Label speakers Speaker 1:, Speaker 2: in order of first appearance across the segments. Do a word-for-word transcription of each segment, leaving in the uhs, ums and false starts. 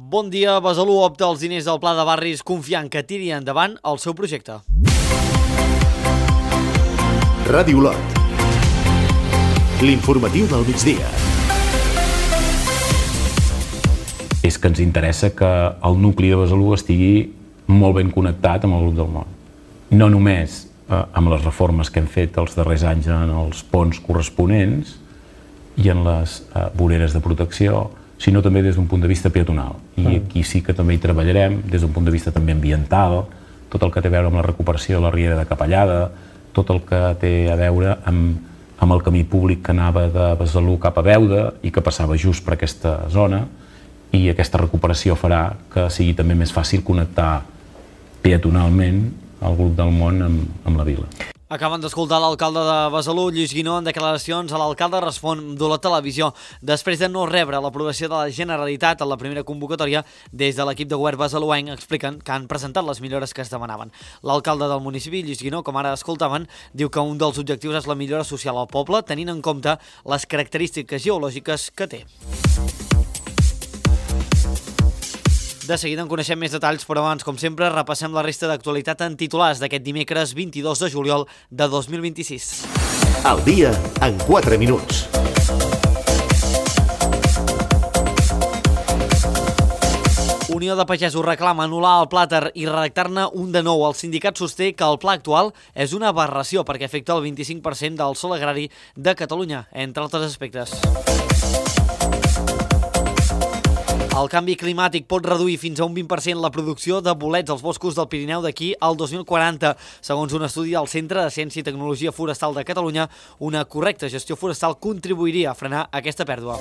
Speaker 1: Bon dia, Besalú opta els diners del Pla de Barris confiant que tiri endavant el seu projecte.
Speaker 2: Ràdio Lot. L'informatiu del migdia.
Speaker 3: És que ens interessa que el nucli de Besalú estigui molt ben connectat amb el grup del món. No només eh, amb les reformes que hem fet els darrers anys en els ponts corresponents i en les eh, voreres de protecció, sinó també des d'un punt de vista peatonal. I aquí sí que també hi treballarem, des d'un punt de vista també ambiental, tot el que té a veure amb la recuperació de la riera de Capellada, tot el que té a veure amb, amb el camí públic que anava de Besalú cap a Beuda i que passava just per aquesta zona, i aquesta recuperació farà que sigui també més fàcil connectar peatonalment el grup del món amb, amb la vila.
Speaker 1: Acaben d'escoltar l'alcalde de Besalú, Lluís Guinó, en declaracions a l'alcalde respon de la televisió després de no rebre l'aprovació de la Generalitat en la primera convocatòria. Des de l'equip de govern besaluenc expliquen que han presentat les millores que es demanaven. L'alcalde del municipi, Lluís Guinó, com ara escoltaven, diu que un dels objectius és la millora social al poble, tenint en compte les característiques geològiques que té. De seguida en coneixem més detalls, però abans, com sempre, repassem la resta d'actualitat en titulars d'aquest dimecres vint-i-dos de juliol de dos mil vint-i-sis.
Speaker 2: Al dia en quatre minuts.
Speaker 1: Unió de Pagesos reclama anul·lar el plàter i redactar-ne un de nou. El sindicat sosté que el pla actual és una aberració perquè afecta el vint-i-cinc per cent del sòl agrari de Catalunya, entre altres aspectes. El canvi climàtic pot reduir fins a un vint per cent la producció de bolets als boscos del Pirineu d'aquí al dos mil quaranta. Segons un estudi del Centre de Ciència i Tecnologia Forestal de Catalunya, una correcta gestió forestal contribuiria a frenar aquesta pèrdua.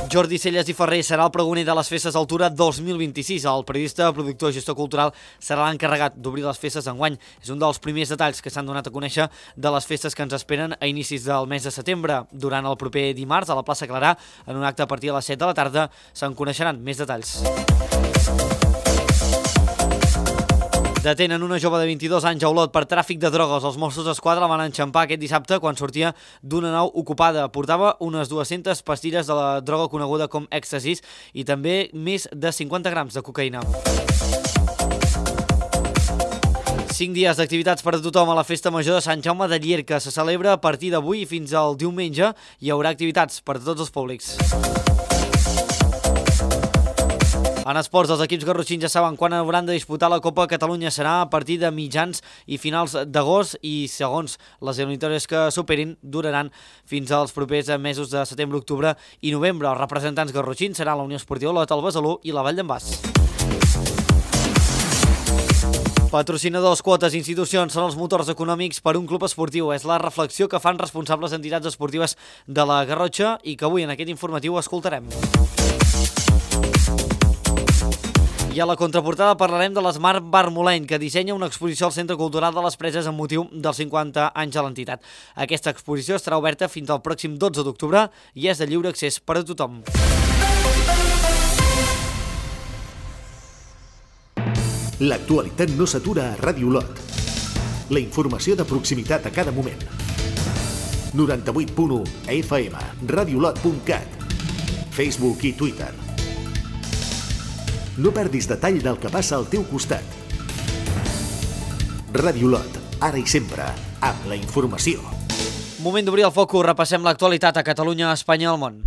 Speaker 1: Jordi Celles i Ferrer serà el pregoner de les Festes Altura dos mil vint-i-sis. El periodista, productor i gestor cultural serà l'encarregat d'obrir les festes d'enguany. És un dels primers detalls que s'han donat a conèixer de les festes que ens esperen a inicis del mes de setembre. Durant el proper dimarts, a la plaça Clarà, en un acte a partir de les set de la tarda, se'n coneixeran més detalls. Detenen una jove de vint-i-dos anys a Olot per tràfic de drogues. Els Mossos d'Esquadra la van enxampar aquest dissabte quan sortia d'una nau ocupada. Portava unes dues-centes pastilles de la droga coneguda com èxtasis i també més de cinquanta grams de cocaïna. Cinc dies d'activitats per a tothom a la Festa Major de Sant Jaume de Llierca. Se celebra a partir d'avui i fins al diumenge. Hi haurà activitats per a tots els públics. En esports, els equips garrotxins ja saben quan hauran de disputar la Copa Catalunya. Serà a partir de mitjans i finals d'agost i, segons les eliminatòries que superin, duraran fins als propers mesos de setembre, octubre i novembre. Els representants garrotxins seran la Unió Esportiva Olot, el Besalú i la Vall d'en Bas. Patrocinadors, quotes, institucions són els motors econòmics per un club esportiu. És la reflexió que fan responsables entitats esportives de la Garrotxa i que avui en aquest informatiu escoltarem. I a la contraportada parlarem de l'Smart Bar Moleny, que dissenya una exposició al Centre Cultural de les Preses amb motiu dels cinquanta anys de l'entitat. Aquesta exposició estarà oberta fins al pròxim dotze d'octubre i és de lliure accés per a tothom.
Speaker 2: L'actualitat no s'atura a Ràdio Lot. La informació de proximitat a cada moment. noranta-vuit punt u F M, radiolot punt cat, Facebook i Twitter. No perdis detall del que passa al teu costat. Ràdio Lot, ara i sempre, amb la informació.
Speaker 1: Moment d'obrir el focus, repassem l'actualitat a Catalunya, Espanya i el món.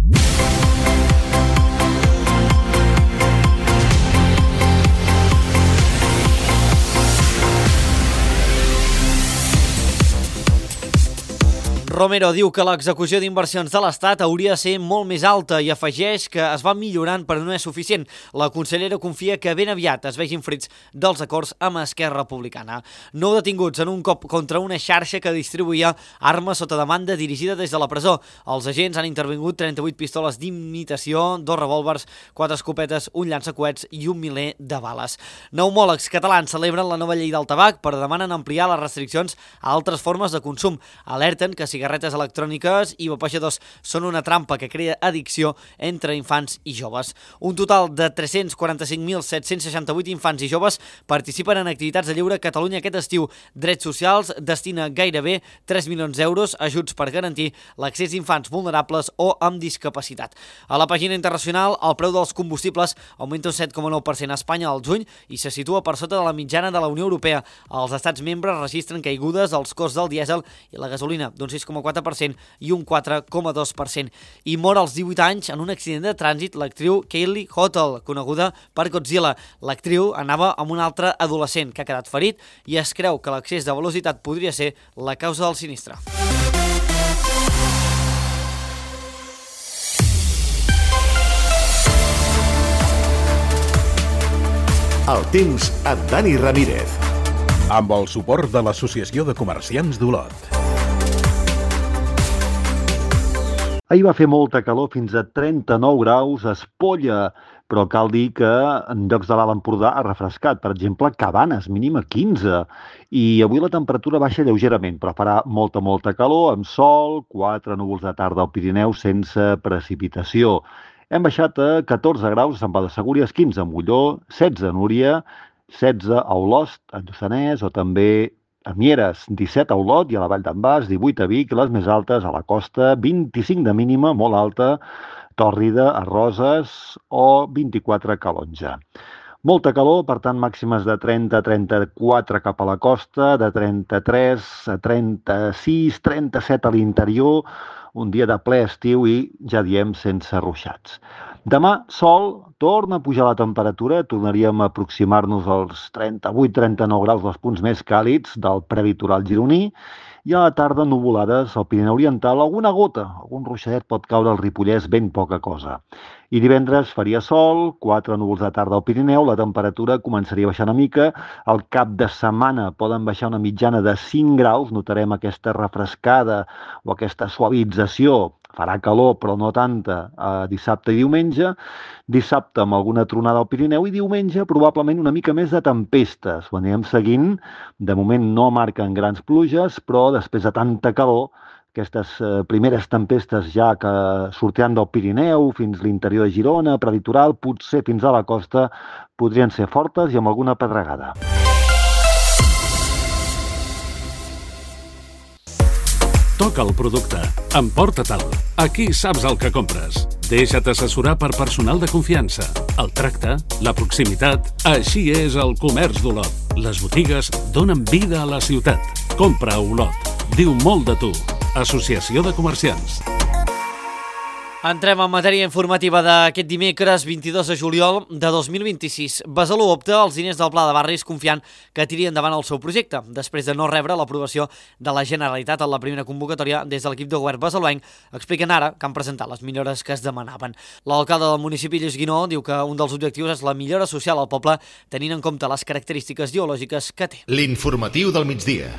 Speaker 1: Romero diu que l'execució d'inversions de l'Estat hauria de ser molt més alta i afegeix que es va millorant però no és suficient. La consellera confia que ben aviat es vegin fruits dels acords amb Esquerra Republicana. Nou detinguts en un cop contra una xarxa que distribuïa armes sota demanda dirigida des de la presó. Els agents han intervingut trenta-vuit pistoles d'imitació, dos revòlvers, quatre escopetes, un llançacoets i un miler de bales. Pneumòlegs catalans celebren la nova llei del tabac però demanen ampliar les restriccions a altres formes de consum. Alerten que cigarrets cigarretes electròniques i vapejadors són una trampa que crea addicció entre infants i joves. Un total de tres-cents quaranta-cinc mil set-cents seixanta-vuit infants i joves participen en activitats de lleure a Catalunya aquest estiu. Drets Socials destina gairebé tres milions d'euros a ajuts per garantir l'accés d'infants vulnerables o amb discapacitat. A la pàgina internacional, el preu dels combustibles augmenta un set coma nou per cent a Espanya al juny i se situa per sota de la mitjana de la Unió Europea. Els estats membres registren caigudes als costs del dièsel i la gasolina d'un sis coma quatre per cent i un quatre coma dos per cent. I mor als divuit anys en un accident de trànsit l'actriu Kaylee Hotel, coneguda per Godzilla. L'actriu anava amb un altre adolescent que ha quedat ferit i es creu que l'excés de velocitat podria ser la causa del sinistre.
Speaker 2: El temps amb Dani Ramírez.
Speaker 4: Amb el suport de l'Associació de Comerciants d'Olot.
Speaker 5: Ahir va fer molta calor, fins a trenta-nou graus, a Espolla, però cal dir que en llocs de l'Alt Empordà ha refrescat. Per exemple, Cabanes, mínima quinze. I avui la temperatura baixa lleugerament, però farà molta, molta calor, amb sol, quatre núvols de tarda al Pirineu sense precipitació. Hem baixat a catorze graus a Sant Pau de Segúries, quinze a Molló, setze a Núria, setze a Olost, a Lluçanès, o també a Mieres, disset a Olot i a la Vall d'en Bas, divuit a Vic, les més altes a la costa, vint-i-cinc de mínima, molt alta, Tòrrida, a Roses o vint-i-quatre a Calonja. Molta calor, per tant, màximes de trenta a trenta-quatre cap a la costa, de trenta-tres a trenta-sis, trenta-set a l'interior, un dia de ple estiu i, ja diem, sense ruixats. Demà, sol, torna a pujar la temperatura, tornaríem a aproximar-nos als trenta-vuit a trenta-nou graus, dels punts més càlids del prelitoral gironí, i a la tarda nuvolades al Pirineu Oriental, alguna gota, algun ruixadet pot caure al Ripollès, ben poca cosa. I divendres faria sol, quatre núvols de tarda al Pirineu, la temperatura començaria a baixar una mica, al cap de setmana poden baixar una mitjana de cinc graus, notarem aquesta refrescada o aquesta suavització, farà calor però no tanta, eh, dissabte i diumenge, dissabte amb alguna tronada al Pirineu i diumenge probablement una mica més de tempestes. Ho anirem seguint, de moment no marquen grans pluges, però després de tanta calor, aquestes eh, primeres tempestes ja que sortiran del Pirineu fins a l'interior de Girona, prelitoral, potser fins a la costa, podrien ser fortes i amb alguna pedregada.
Speaker 6: Toca el producte. Emporta-te'l. Aquí saps el que compres. Deixa't assessorar per personal de confiança. El tracte, la proximitat... Així és el comerç d'Olot. Les botigues donen vida a la ciutat. Compra a Olot. Diu molt de tu. Associació de Comerciants.
Speaker 1: Entrem en matèria informativa d'aquest dimecres vint-i-dos de juliol de dos mil vint-i-sis. Besalú opta els diners del Pla de Barris confiant que tiri endavant el seu projecte, després de no rebre l'aprovació de la Generalitat en la primera convocatòria des de l'equip de govern besaluenc, expliquen ara que han presentat les millores que es demanaven. L'alcalde del municipi, Lluís Guinó, diu que un dels objectius és la millora social al poble, tenint en compte les característiques geològiques que té.
Speaker 2: L'informatiu del migdia.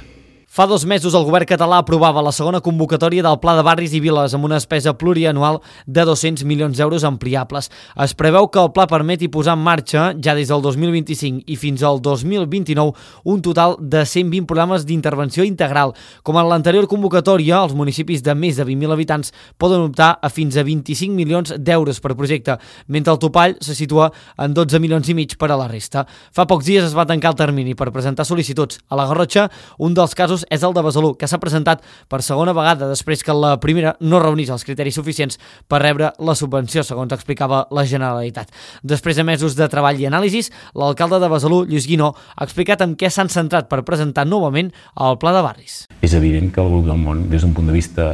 Speaker 1: Fa dos mesos el govern català aprovava la segona convocatòria del Pla de Barris i Viles amb una despesa plurianual de dos-cents milions d'euros ampliables. Es preveu que el pla permeti posar en marxa, ja des del dos mil vint-i-cinc i fins al dos mil vint-i-nou, un total de cent vint programes d'intervenció integral. Com en l'anterior convocatòria, els municipis de més de vint mil habitants poden optar a fins a vint-i-cinc milions d'euros per projecte, mentre el topall se situa en dotze milions i mig per a la resta. Fa pocs dies es va tancar el termini per presentar sol·licituds. A la Garrotxa, un dels casos és el de Besalú, que s'ha presentat per segona vegada després que la primera no reunís els criteris suficients per rebre la subvenció, segons explicava la Generalitat. Després de mesos de treball i anàlisis, l'alcalde de Besalú, Lluís Guinó, ha explicat en què s'han centrat per presentar novament el Pla de Barris.
Speaker 3: És evident que el grup del món, des d'un punt de vista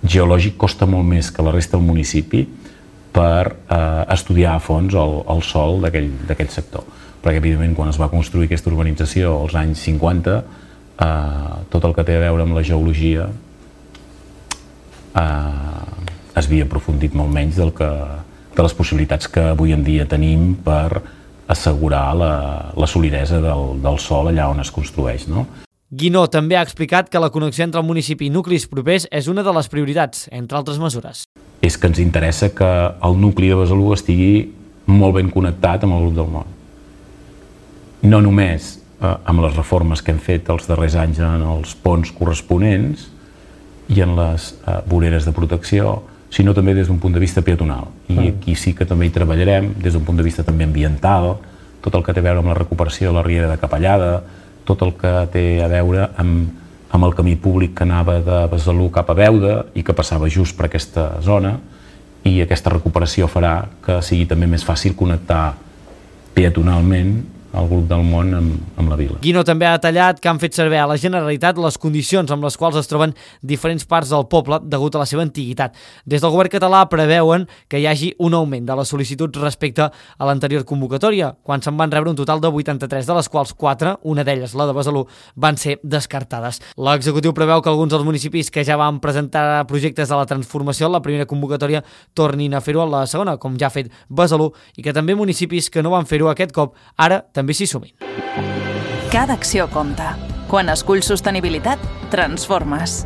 Speaker 3: geològic, costa molt més que la resta del municipi per eh, estudiar a fons el, el sòl d'aquell sector. Perquè, evidentment, quan es va construir aquesta urbanització als anys cinquanta, Uh, tot el que té a veure amb la geologia uh, es havia aprofundit molt menys del que, de les possibilitats que avui en dia tenim per assegurar la, la solidesa del, del sòl allà on es construeix, no?
Speaker 1: Guinó també ha explicat que la connexió entre el municipi i nuclis propers és una de les prioritats, entre altres mesures.
Speaker 3: És que ens interessa que el nucli de Besalú estigui molt ben connectat amb el grup del món. No només amb les reformes que hem fet els darrers anys en els ponts corresponents, i en les eh, voreres de protecció, sinó també des d'un punt de vista peatonal. I aquí sí que també hi treballarem des d'un punt de vista també ambiental, tot el que té a veure amb la recuperació de la riera de Capellada, tot el que té a veure amb, amb el camí públic que anava de Besalú cap a Beuda i que passava just per aquesta zona, i aquesta recuperació farà que sigui també més fàcil connectar peatonalment el grup del món amb, amb la vila.
Speaker 1: Guino també ha detallat que han fet servir a la Generalitat les condicions amb les quals es troben diferents parts del poble degut a la seva antiguitat. Des del govern català preveuen que hi hagi un augment de les sol·licituds respecte a l'anterior convocatòria, quan se'n van rebre un total de vuitanta-tres, de les quals quatre, una d'elles, la de Besalú, van ser descartades. L'executiu preveu que alguns dels municipis que ja van presentar projectes de la transformació en la primera convocatòria tornin a fer-ho a la segona, com ja ha fet Besalú, i que també municipis que no van fer-ho aquest cop ara també també s'hi sumin.
Speaker 7: Cada acció compta. Quan esculls sostenibilitat, transformes.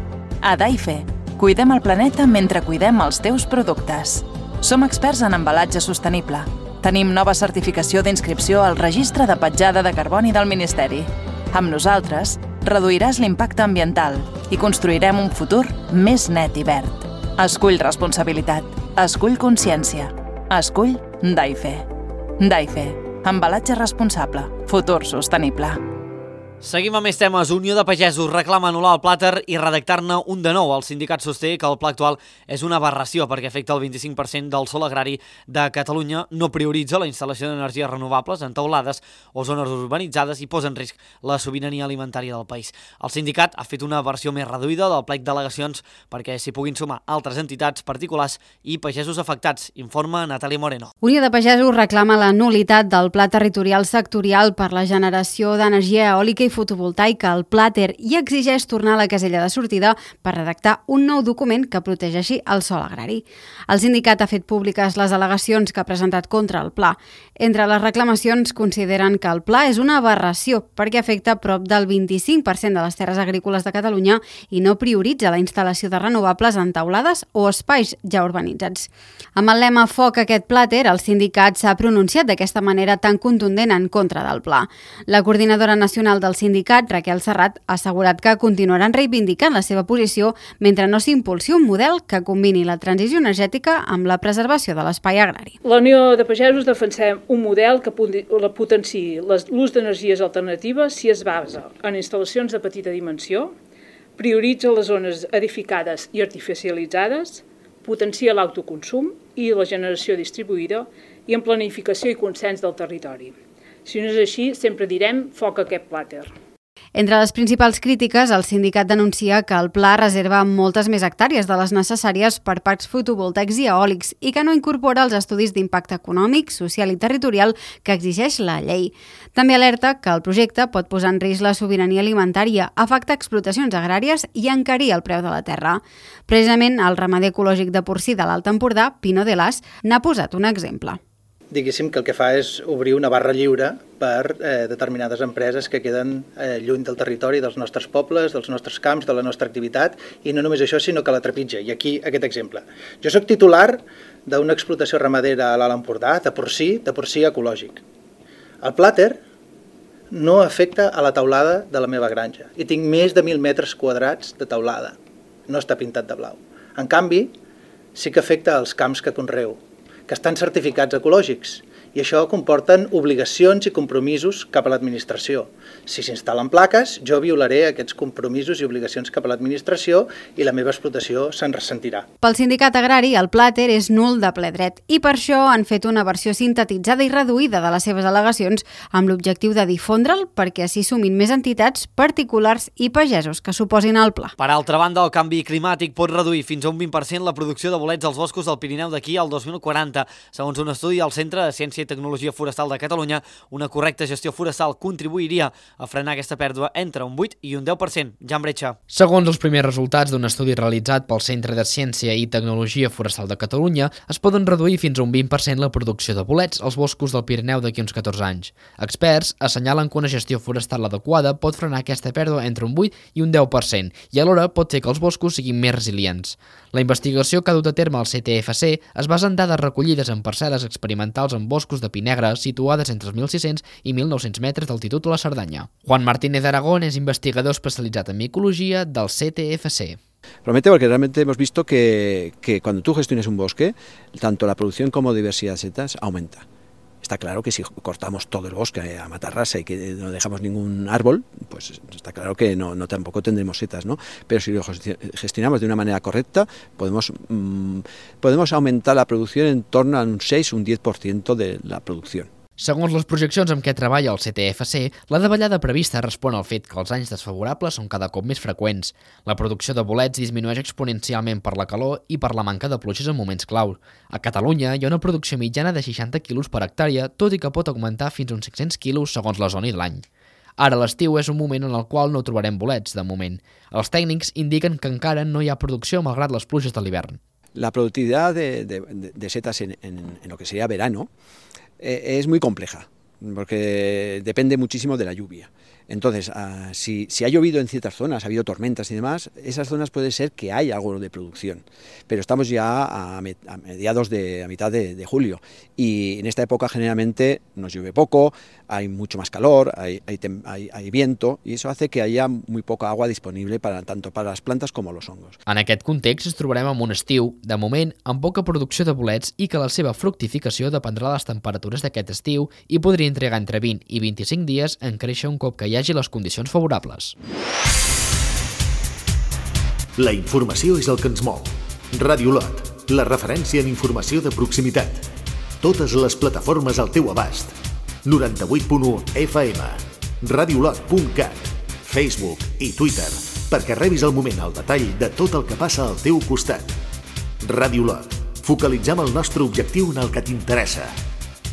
Speaker 7: A Daife, cuidem el planeta mentre cuidem els teus productes. Som experts en embalatge sostenible. Tenim nova certificació d'inscripció al Registre de Petjada de Carboni del Ministeri. Amb nosaltres, reduiràs l'impacte ambiental i construirem un futur més net i verd. Escull responsabilitat. Escull consciència. Escull Daife. Daife. Embalatge responsable. Futur sostenible.
Speaker 1: Seguim amb més temes. Unió de Pagesos reclama anul·lar el plàter i redactar-ne un de nou. El sindicat sosté que el pla actual és una aberració perquè afecta el vint-i-cinc per cent del sòl agrari de Catalunya, no prioritza la instal·lació d'energies renovables en teulades o zones urbanitzades i posa en risc la sobirania alimentària del país. El sindicat ha fet una versió més reduïda del plec d'al·legacions perquè s'hi puguin sumar altres entitats, particulars i pagesos afectats, informa Natàlia Moreno.
Speaker 8: Unió de Pagesos reclama la nul·litat del Pla Territorial Sectorial per la generació d'energia eòlica i fotovoltaica, el plàter, i exigeix tornar a la casella de sortida per redactar un nou document que protegeixi el sòl agrari. El sindicat ha fet públiques les al·legacions que ha presentat contra el pla. Entre les reclamacions consideren que el pla és una aberració perquè afecta prop del vint-i-cinc per cent de les terres agrícoles de Catalunya i no prioritza la instal·lació de renovables en teulades o espais ja urbanitzats. Amb el lema Foc aquest plàter, el sindicat s'ha pronunciat d'aquesta manera tan contundent en contra del pla. La coordinadora nacional del sindicat, Raquel Serrat, ha assegurat que continuaran reivindicant la seva posició mentre no s'impulsi un model que combini la transició energètica amb la preservació de l'espai agrari.
Speaker 9: La Unió de Pagesos defensem un model que potenciï l'ús d'energies alternatives si es basa en instal·lacions de petita dimensió, prioritza les zones edificades i artificialitzades, potencia l'autoconsum i la generació distribuïda i en planificació i consens del territori. Si no és així, sempre direm foc a aquest plàter.
Speaker 8: Entre les principals crítiques, el sindicat denuncia que el pla reserva moltes més hectàrees de les necessàries per parcs fotovoltaics i eòlics i que no incorpora els estudis d'impacte econòmic, social i territorial que exigeix la llei. També alerta que el projecte pot posar en risc la sobirania alimentària, afectar explotacions agràries i encarir el preu de la terra. Precisament, el ramader ecològic de porcí de l'Alt Empordà, Pino de Las, n'ha posat un exemple.
Speaker 10: Diguéssim que el que fa és obrir una barra lliure per eh, determinades empreses que queden eh, lluny del territori, dels nostres pobles, dels nostres camps, de la nostra activitat, i no només això, sinó que la trepitja. I aquí aquest exemple. Jo soc titular d'una explotació ramadera a l'Alt Empordà, de porcí, de porcí ecològic. El plàter no afecta a la teulada de la meva granja i tinc més de mil metres quadrats de teulada. No està pintat de blau. En canvi, sí que afecta als camps que conreo, que estan certificats ecològics, i això comporten obligacions i compromisos cap a l'administració. Si s'instal·len plaques, jo violaré aquests compromisos i obligacions cap a l'administració i la meva explotació se'n ressentirà.
Speaker 8: Pel sindicat agrari, el plàter és nul de ple dret i per això han fet una versió sintetitzada i reduïda de les seves al·legacions amb l'objectiu de difondre'l perquè s'hi sumin més entitats, particulars i pagesos que s'oposin al pla.
Speaker 1: Per altra banda, el canvi climàtic pot reduir fins a un vint per cent la producció de bolets als boscos del Pirineu d'aquí al dos mil quaranta. Segons un estudi del Centre de Ciència i Tecnologia Forestal de Catalunya, una correcta gestió forestal contribuiria a frenar aquesta pèrdua entre un vuit i un deu per cent. Jan Bretxa.
Speaker 11: Segons els primers resultats d'un estudi realitzat pel Centre de Ciència i Tecnologia Forestal de Catalunya, es poden reduir fins a un vint per cent la producció de bolets als boscos del Pirineu d'aquí uns catorze anys. Experts assenyalen que una gestió forestal adequada pot frenar aquesta pèrdua entre un vuit i un deu per cent i alhora pot fer que els boscos siguin més resilients. La investigació que ha dut a terme el C T F C es basa en dades recollides en parcel·les experimentals en boscos boscos de pi negre situades entre els mil sis-cents i mil nou-cents metres d'altitud a la Cerdanya. Juan Martínez Aragón és investigador especialitzat en micologia del C T F C.
Speaker 12: Promete porque realmente hemos visto que, que cuando tú gestiones un bosque, tanto la producción como diversidad de setas aumenta. Está claro que si cortamos todo el bosque a matarrasa y que no dejamos ningún árbol, pues está claro que no, no tampoco tendremos setas, ¿no? Pero si lo gestionamos de una manera correcta, podemos, mmm, podemos aumentar la producción en torno a un seis o un diez por ciento de la producción.
Speaker 11: Segons les projeccions amb què treballa el C T F C, la davallada prevista respon al fet que els anys desfavorables són cada cop més freqüents. La producció de bolets disminueix exponencialment per la calor i per la manca de pluges en moments clau. A Catalunya hi ha una producció mitjana de seixanta quilos per hectàrea, tot i que pot augmentar fins a uns cinc-cents quilos segons la zona i l'any. Ara l'estiu és un moment en el qual no trobarem bolets, de moment. Els tècnics indiquen que encara no hi ha producció malgrat les pluges de l'hivern.
Speaker 12: La productividad de, de, de setas en, en, en lo que sería verano es muy compleja, porque depende muchísimo de la lluvia. Entonces, uh, si, si ha llovido en ciertas zonas, ha habido tormentas y demás, esas zonas puede ser que haya algo de producción. Pero estamos ya a, me, a mediados de, a mitad de, de julio, y en esta época generalmente nos llueve poco, hay mucho más calor, hay, hay, hay, hay viento, y eso hace que haya muy poca agua disponible para, tanto para las plantas como los hongos.
Speaker 11: En aquest context ens trobarem amb un estiu, de moment, amb poca producció de bolets i que la seva fructificació dependrà de les temperatures d'aquest estiu i podria entregar entre vint i vint-i-cinc dies en créixer un cop que hi hagi les condicions favorables.
Speaker 2: La informació és el que ens mou. Ràdio Lot, la referència en informació de proximitat. Totes les plataformes al teu abast. noranta-vuit punt u F M, radiolot punt cat, Facebook i Twitter, perquè rebis al moment el detall de tot el que passa al teu costat. Ràdio Lot, focalitzem el nostre objectiu en el que t'interessa.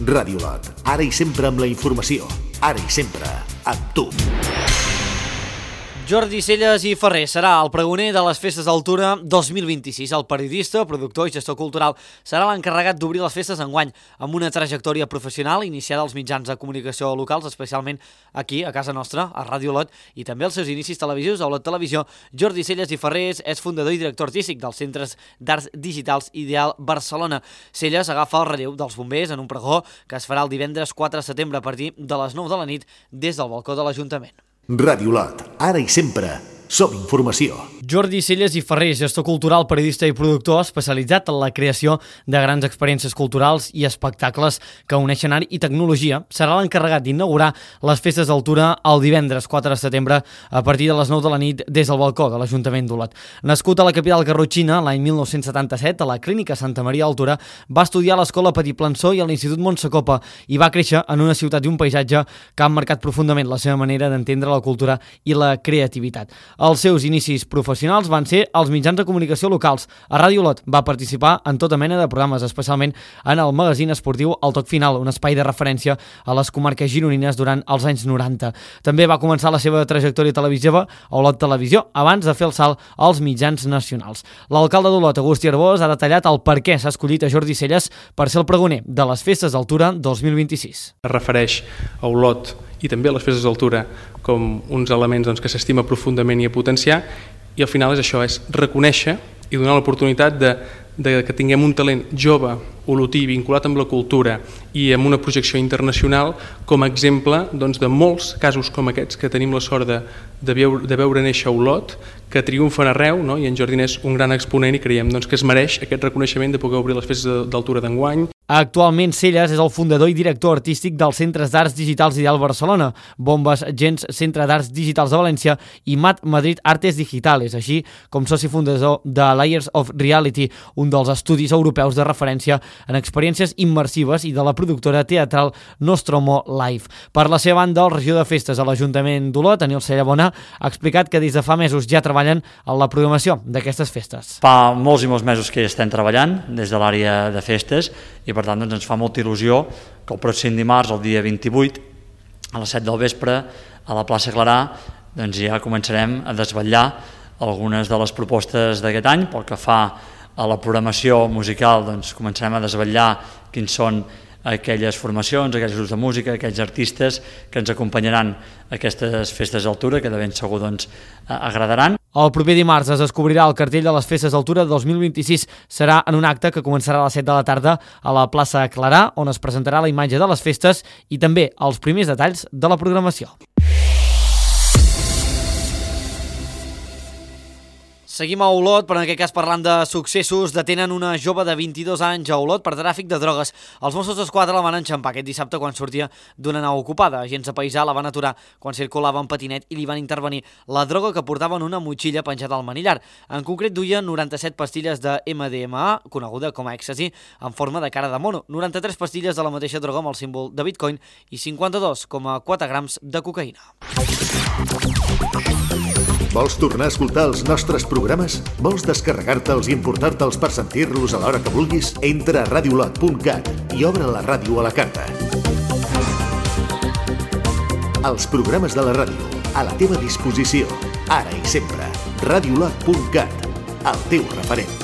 Speaker 2: Ràdio Lot, ara i sempre amb la informació, ara i sempre amb tu.
Speaker 1: Jordi Celles i Ferrer serà el pregoner de les Festes d'Altura dos mil vint-i-sis. El periodista, productor i gestor cultural serà l'encarregat d'obrir les festes enguany, amb una trajectòria professional iniciada als mitjans de comunicació locals, especialment aquí, a casa nostra, a Ràdio Lot, i també els seus inicis televisius a Olot Televisió. Jordi Celles i Ferrer és fundador i director artístic dels Centres d'Arts Digitals Ideal Barcelona. Celles agafa el relleu dels bombers en un pregó que es farà el divendres quatre de setembre a partir de les nou de la nit des del balcó de l'Ajuntament.
Speaker 2: Ràdio Lot, ara i sempre, som informació.
Speaker 1: Jordi Celles i Ferrer, gestor cultural, periodista i productor especialitzat en la creació de grans experiències culturals i espectacles que uneixen art i tecnologia, serà l'encarregat d'inaugurar les Festes d'Altura el divendres quatre de setembre a partir de les nou de la nit des del balcó de l'Ajuntament d'Olot. Nascut a la capital garrotxina l'any mil nou-cents setanta-set, a la Clínica Santa Maria d'Altura, va estudiar a l'Escola Petit Plançó i a l'Institut Montsecopa i va créixer en una ciutat i un paisatge que han marcat profundament la seva manera d'entendre la cultura i la creativitat. Els seus inicis professionals van ser als mitjans de comunicació locals. A Ràdio Lot va participar en tota mena de programes, especialment en el magazín esportiu El Toc Final, un espai de referència a les comarques gironines durant els anys noranta. També va començar la seva trajectòria televisiva a Olot Televisió, abans de fer el salt als mitjans nacionals. L'alcalde d'Olot, Agustí Arbós, ha detallat el per què s'ha escollit a Jordi Celles per ser el pregoner de les Festes d'Altura dos mil vint-i-sis.
Speaker 13: Es refereix a Olot i també a les Festes d'Altura com uns elements doncs, que s'estima profundament i a potenciar, i al final és això, és reconèixer i donar l'oportunitat de, de que tinguem un talent jove, olotí, vinculat amb la cultura i amb una projecció internacional com a exemple doncs, de molts casos com aquests que tenim la sort de, de, veure, de veure néixer a Olot, que triomfen arreu, no? I en Jordi és un gran exponent i creiem doncs, que es mereix aquest reconeixement de poder obrir les Festes d'Altura d'enguany.
Speaker 1: Actualment, Celles és el fundador i director artístic dels Centres d'Arts Digitals Ideal Barcelona, Bombes Gens Centre d'Arts Digitals de València i Mat Madrid Artes Digitales, així com soci fundador de Layers of Reality, un dels estudis europeus de referència en experiències immersives, i de la productora teatral Nostromo Live. Per la seva banda, el regidor de festes a l'Ajuntament d'Olot, Daniel Cellabona, ha explicat que des de fa mesos ja treballen en la programació d'aquestes festes.
Speaker 14: Fa molts i molts mesos que hi estem treballant des de l'àrea de festes i per tant doncs, ens fa molta il·lusió que el pròxim dimarts, el dia vint-i-vuit, a les set del vespre, a la plaça Clarà, doncs ja començarem a desvetllar algunes de les propostes d'aquest any. Pel que fa a la programació musical, doncs començarem a desvetllar quins són aquelles formacions, aquells grups de música, aquells artistes que ens acompanyaran a aquestes festes d'altura, que de ben segur doncs, agradaran.
Speaker 1: El proper dimarts es descobrirà el cartell de les Festes d'Altura dos mil vint-i-sis. Serà en un acte que començarà a les set de la tarda a la plaça Clarà, on es presentarà la imatge de les festes i també els primers detalls de la programació. Seguim a Olot, però en aquest cas parlant de successos. Detenen una jove de vint-i-dos anys a Olot per tràfic de drogues. Els Mossos d'Esquadra la van enxampar aquest dissabte quan sortia d'una nau ocupada. Agents de paisà la van aturar quan circulava en patinet i li van intervenir la droga que portava en una motxilla penjada al manillar. En concret duia noranta-set pastilles de ema de ema a, coneguda com a èxtasi, en forma de cara de mono, noranta-tres pastilles de la mateixa droga amb el símbol de Bitcoin i cinquanta-dos coma quatre grams de cocaïna.
Speaker 2: Vols tornar a escoltar els nostres programes? Vols descarregar-te'ls i importar-te'ls per sentir-los a l'hora que vulguis? Entra a radiolot punt cat i obre la ràdio a la carta. Els programes de la ràdio, a la teva disposició, ara i sempre. radiolot punt cat, el teu referent.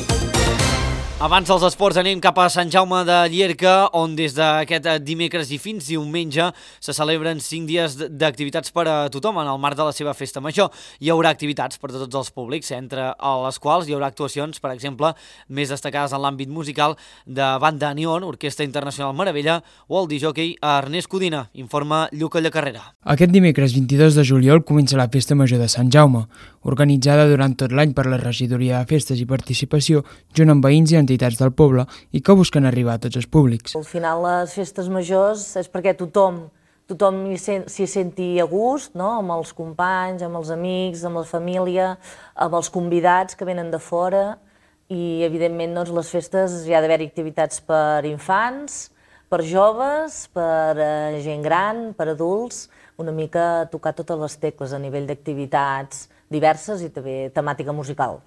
Speaker 1: Abans dels esports anem cap a Sant Jaume de Llierca, on des d'aquest dimecres i fins diumenge se celebren cinc dies d'activitats per a tothom en el marc de la seva festa major. Hi haurà activitats per a tots els públics, entre les quals hi haurà actuacions, per exemple, més destacades en l'àmbit musical de Banda Neon, Orquestra Internacional Meravella o el discjòquei Ernest Codina, informa Lluca Llacarrera.
Speaker 15: Aquest dimecres vint-i-dos de juliol comença la Festa Major de Sant Jaume, organitzada durant tot l'any per la Regidoria de Festes i Participació, junt amb veïns i entitats entitats del poble i que busquen arribar a tots els públics.
Speaker 16: Al final les festes majors és perquè tothom tothom s'hi senti a gust, no? Amb els companys, amb els amics, amb la família, amb els convidats que venen de fora i evidentment doncs, les festes hi ha d'haver activitats per infants, per joves, per gent gran, per adults, una mica tocar totes les tecles a nivell d'activitats diverses i també temàtica musical.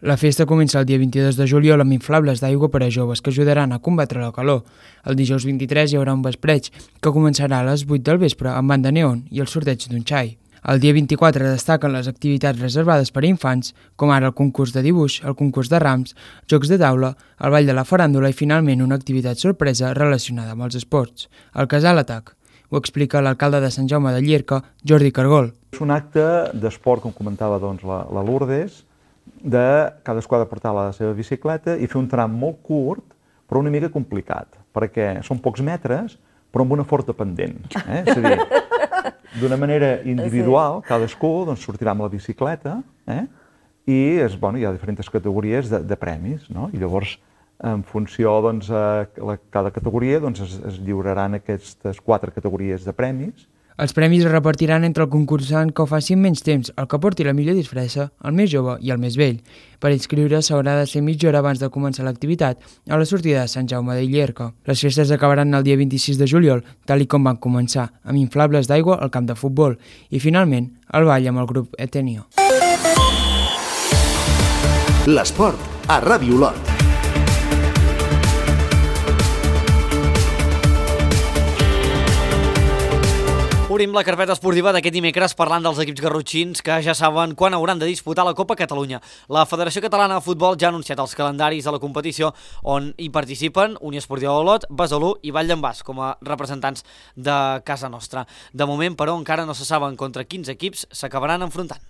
Speaker 15: La festa comença el dia vint-i-dos de juliol amb inflables d'aigua per a joves que ajudaran a combatre la calor. El dijous vint-i-tres hi haurà un vespreig que començarà a les vuit del vespre amb Banda Neon i el sorteig d'un xai. El dia vint-i-quatre destaquen les activitats reservades per a infants, com ara el concurs de dibuix, el concurs de rams, jocs de taula, el ball de la faràndula i finalment una activitat sorpresa relacionada amb els esports, el Casal Atac. Ho explica l'alcalde de Sant Jaume de Llierca, Jordi Cargol.
Speaker 17: És un acte d'esport, com comentava doncs, la, la Lourdes, de cadascú ha de portar la seva bicicleta i fer un tram molt curt, però una mica complicat, perquè són pocs metres, però amb una forta pendent. Eh? És a dir, d'una manera individual, cadascú doncs, sortirà amb la bicicleta eh? i és, bueno, hi ha diferents categories de, de premis, no? I llavors, en funció doncs, a la, cada categoria, doncs, es, es lliuraran aquestes quatre categories de premis.
Speaker 15: Els premis es repartiran entre el concursant que ho faci en menys temps, el que porti la millor disfressa, el més jove i el més vell. Per inscriure s'haurà de ser mitja hora abans de començar l'activitat a la sortida de Sant Jaume de Llierca. Les festes acabaran el dia vint-i-sis de juliol, tal i com van començar, amb inflables d'aigua al camp de futbol i, finalment, el ball amb el grup Etenio.
Speaker 2: L'esport a Ràdio Olot.
Speaker 1: Obrim la carpeta esportiva d'aquest dimecres parlant dels equips garrotxins que ja saben quan hauran de disputar la Copa Catalunya. La Federació Catalana de Futbol ja ha anunciat els calendaris de la competició on hi participen Unió Esportiva Olot, Besalú i Vall d'en Bas com a representants de casa nostra. De moment, però, encara no se saben contra quins equips s'acabaran enfrontant.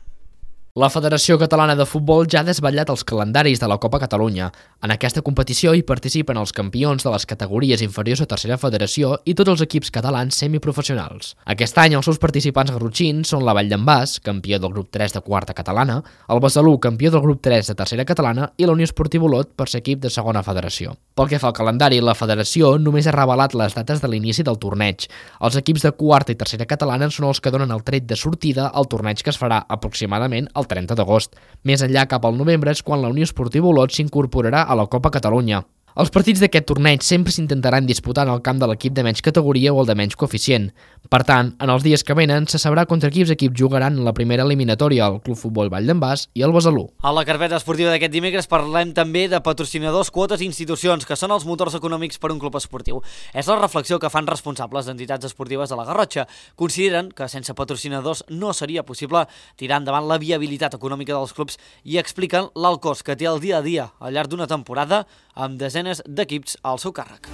Speaker 11: La Federació Catalana de Futbol ja ha desvetllat els calendaris de la Copa Catalunya. En aquesta competició hi participen els campions de les categories inferiors a tercera federació i tots els equips catalans semiprofessionals. Aquest any els seus participants garrotxins són la Vall d'en Bas, campió del grup tres de quarta catalana, el Besalú, campió del grup tres de tercera catalana i la Unió Esportiva Olot per ser equip de segona federació. Pel que fa al calendari, la federació només ha revelat les dates de l'inici del torneig. Els equips de quarta i tercera catalana són els que donen el tret de sortida al torneig que es farà aproximadament el trenta d'agost. Més enllà, cap al novembre, és quan la Unió Esportiva Olot s'incorporarà a la Copa Catalunya. Els partits d'aquest torneig sempre s'intentaran disputar en el camp de l'equip de menys categoria o el de menys coeficient. Per tant, en els dies que venen se sabrà contra quins equips jugaran en la primera eliminatòria el Club Futbol Vall d'en Bas i el Besalú.
Speaker 1: A la carpeta esportiva d'aquest dimecres parlem també de patrocinadors, quotes i institucions, que són els motors econòmics per un club esportiu. És la reflexió que fan responsables d'entitats esportives de la Garrotxa. Consideren que sense patrocinadors no seria possible tirar endavant la viabilitat econòmica dels clubs i expliquen l'alt cost que té el dia a dia al llarg d'una temporada amb desenes d'equips al seu càrrec.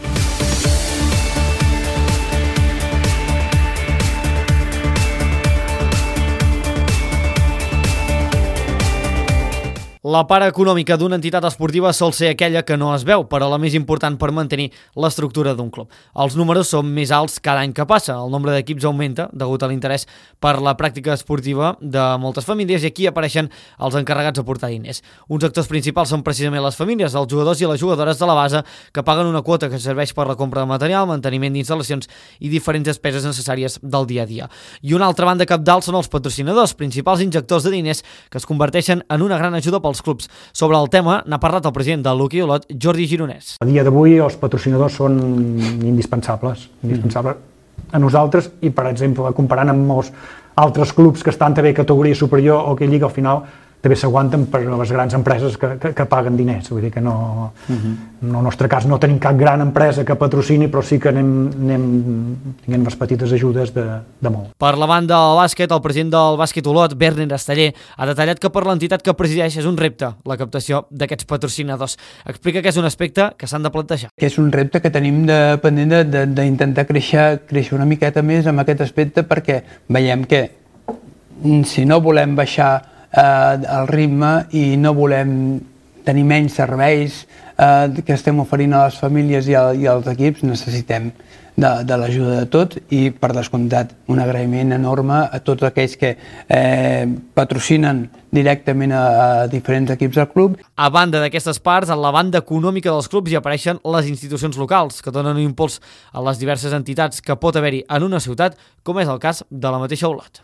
Speaker 1: La part econòmica d'una entitat esportiva sol ser aquella que no es veu, però la més important per mantenir l'estructura d'un club. Els números són més alts cada any que passa. El nombre d'equips augmenta degut a l'interès per la pràctica esportiva de moltes famílies i aquí apareixen els encarregats de portar diners. Uns actors principals són precisament les famílies, els jugadors i les jugadores de la base que paguen una quota que serveix per la compra de material, manteniment d'instal·lacions i diferents despeses necessàries del dia a dia. I una altra banda cabdal són els patrocinadors, principals injectors de diners que es converteixen en una gran ajuda pels clubs. Sobre el tema n'ha parlat el president del Lucky Olot, Jordi Gironès.
Speaker 18: A dia d'avui els patrocinadors són indispensables, indispensables a nosaltres i, per exemple, comparant amb molts altres clubs que estan també a categoria superior o que lliga, al final també s'aguanten per les grans empreses que, que, que paguen diners. Vull dir que no, uh-huh. en el nostre cas no tenim cap gran empresa que patrocini, però sí que anem, anem tinguem les petites ajudes de, de molt.
Speaker 1: Per la banda del bàsquet, el president del Bàsquet Olot, Berner Esteller, ha detallat que per l'entitat que presideix és un repte la captació d'aquests patrocinadors. Explica que és un aspecte que s'han de plantejar.
Speaker 19: Que és un repte que tenim de, pendent d'intentar créixer, créixer una miqueta més amb aquest aspecte perquè veiem que si no volem baixar el ritme i no volem tenir menys serveis eh, que estem oferint a les famílies i, a, i als equips, necessitem de, de l'ajuda de tots i, per descomptat, un agraïment enorme a tots aquells que eh, patrocinen directament a, a diferents equips del club.
Speaker 1: A banda d'aquestes parts, en la banda econòmica dels clubs hi apareixen les institucions locals, que donen un impuls a les diverses entitats que pot haver-hi en una ciutat, com és el cas de la mateixa Olot.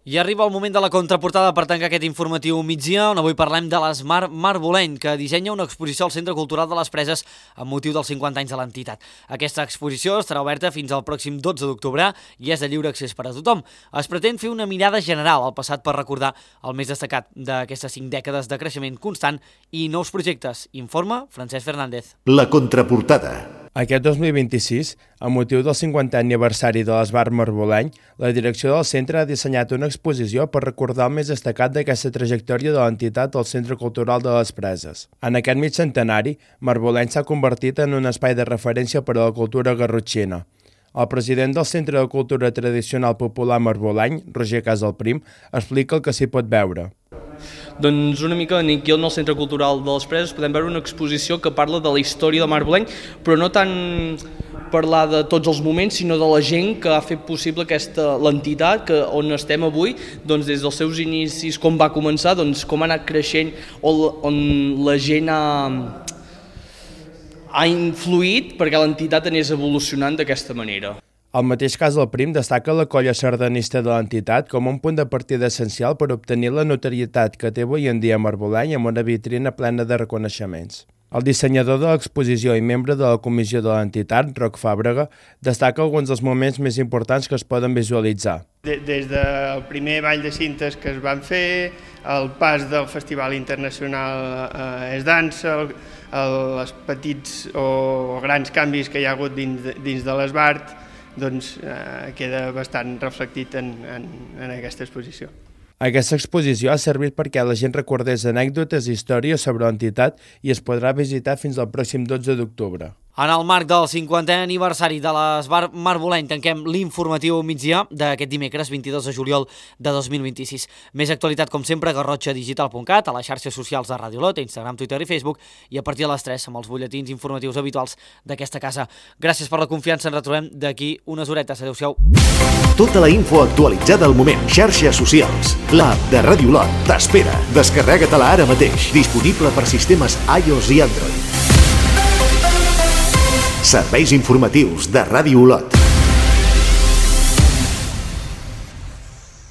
Speaker 1: I arriba el moment de la contraportada per tancar aquest informatiu migdia, on avui parlem de l'Esmar Marboleny, que dissenya una exposició al Centre Cultural de les Preses amb motiu dels cinquanta anys de l'entitat. Aquesta exposició estarà oberta fins al pròxim dotze d'octubre i és de lliure accés per a tothom. Es pretén fer una mirada general al passat per recordar el més destacat d'aquestes cinc dècades de creixement constant i nous projectes. Informa Francesc Fernández.
Speaker 2: La contraportada.
Speaker 20: Aquest dos mil vint-i-sis, amb motiu del cinquantè aniversari de l'Esmar Marboleny, la direcció del centre ha dissenyat una exposició per recordar el més destacat d'aquesta trajectòria de l'entitat al Centre Cultural de les Preses. En aquest mig centenari, Marboleny s'ha convertit en un espai de referència per a la cultura garrotxina. El president del Centre de Cultura Tradicional Popular Marboleny, Roger Casalprim, explica el que s'hi pot veure.
Speaker 21: Doncs una mica aquí al Centre Cultural de les Preses podem veure una exposició que parla de la història de Marboleny, però no tant parlar de tots els moments, sinó de la gent que ha fet possible aquesta l'entitat que on estem avui, doncs des dels seus inicis, com va començar, doncs com ha anat creixent, on, on la gent ha, ha influït perquè l'entitat anés evolucionant d'aquesta manera.
Speaker 20: El mateix Casalprim destaca la colla sardanista de l'entitat com un punt de partida essencial per obtenir la notorietat que té avui en dia Marboleny amb una vitrina plena de reconeixements. El dissenyador de l'exposició i membre de la comissió de l'entitat, Roc Fàbrega, destaca alguns dels moments més importants que es poden visualitzar.
Speaker 22: Des del primer ball de cintes que es van fer, el pas del Festival Internacional eh, Es Dansa, el, els petits o grans canvis que hi ha hagut dins de, dins de l'Esbart, doncs eh, queda bastant reflectit en, en, en aquesta exposició.
Speaker 20: Aquesta exposició ha servit perquè la gent recordés anècdotes i històries sobre l'entitat i es podrà visitar fins al pròxim dotze d'octubre.
Speaker 1: En el marc del cinquantè aniversari de l'Esmar Marboleny tanquem l'informatiu migdia d'aquest dimecres vint-i-dos de juliol de dos mil vint-i-sis. Més actualitat, com sempre, a garrotxa digital punt cat, a les xarxes socials de Ràdio Olot, Instagram, Twitter i Facebook, i a partir de les tres amb els butlletins informatius habituals d'aquesta casa. Gràcies per la confiança, ens retrobem d'aquí unes horetes. Adéu-siau.
Speaker 2: Tota la info actualitzada al moment. Xarxes socials. L'app de Ràdio Olot t'espera. Descarrega-te-la ara mateix. Disponible per sistemes iOS i Android. Serveis informatius de Ràdio Olot.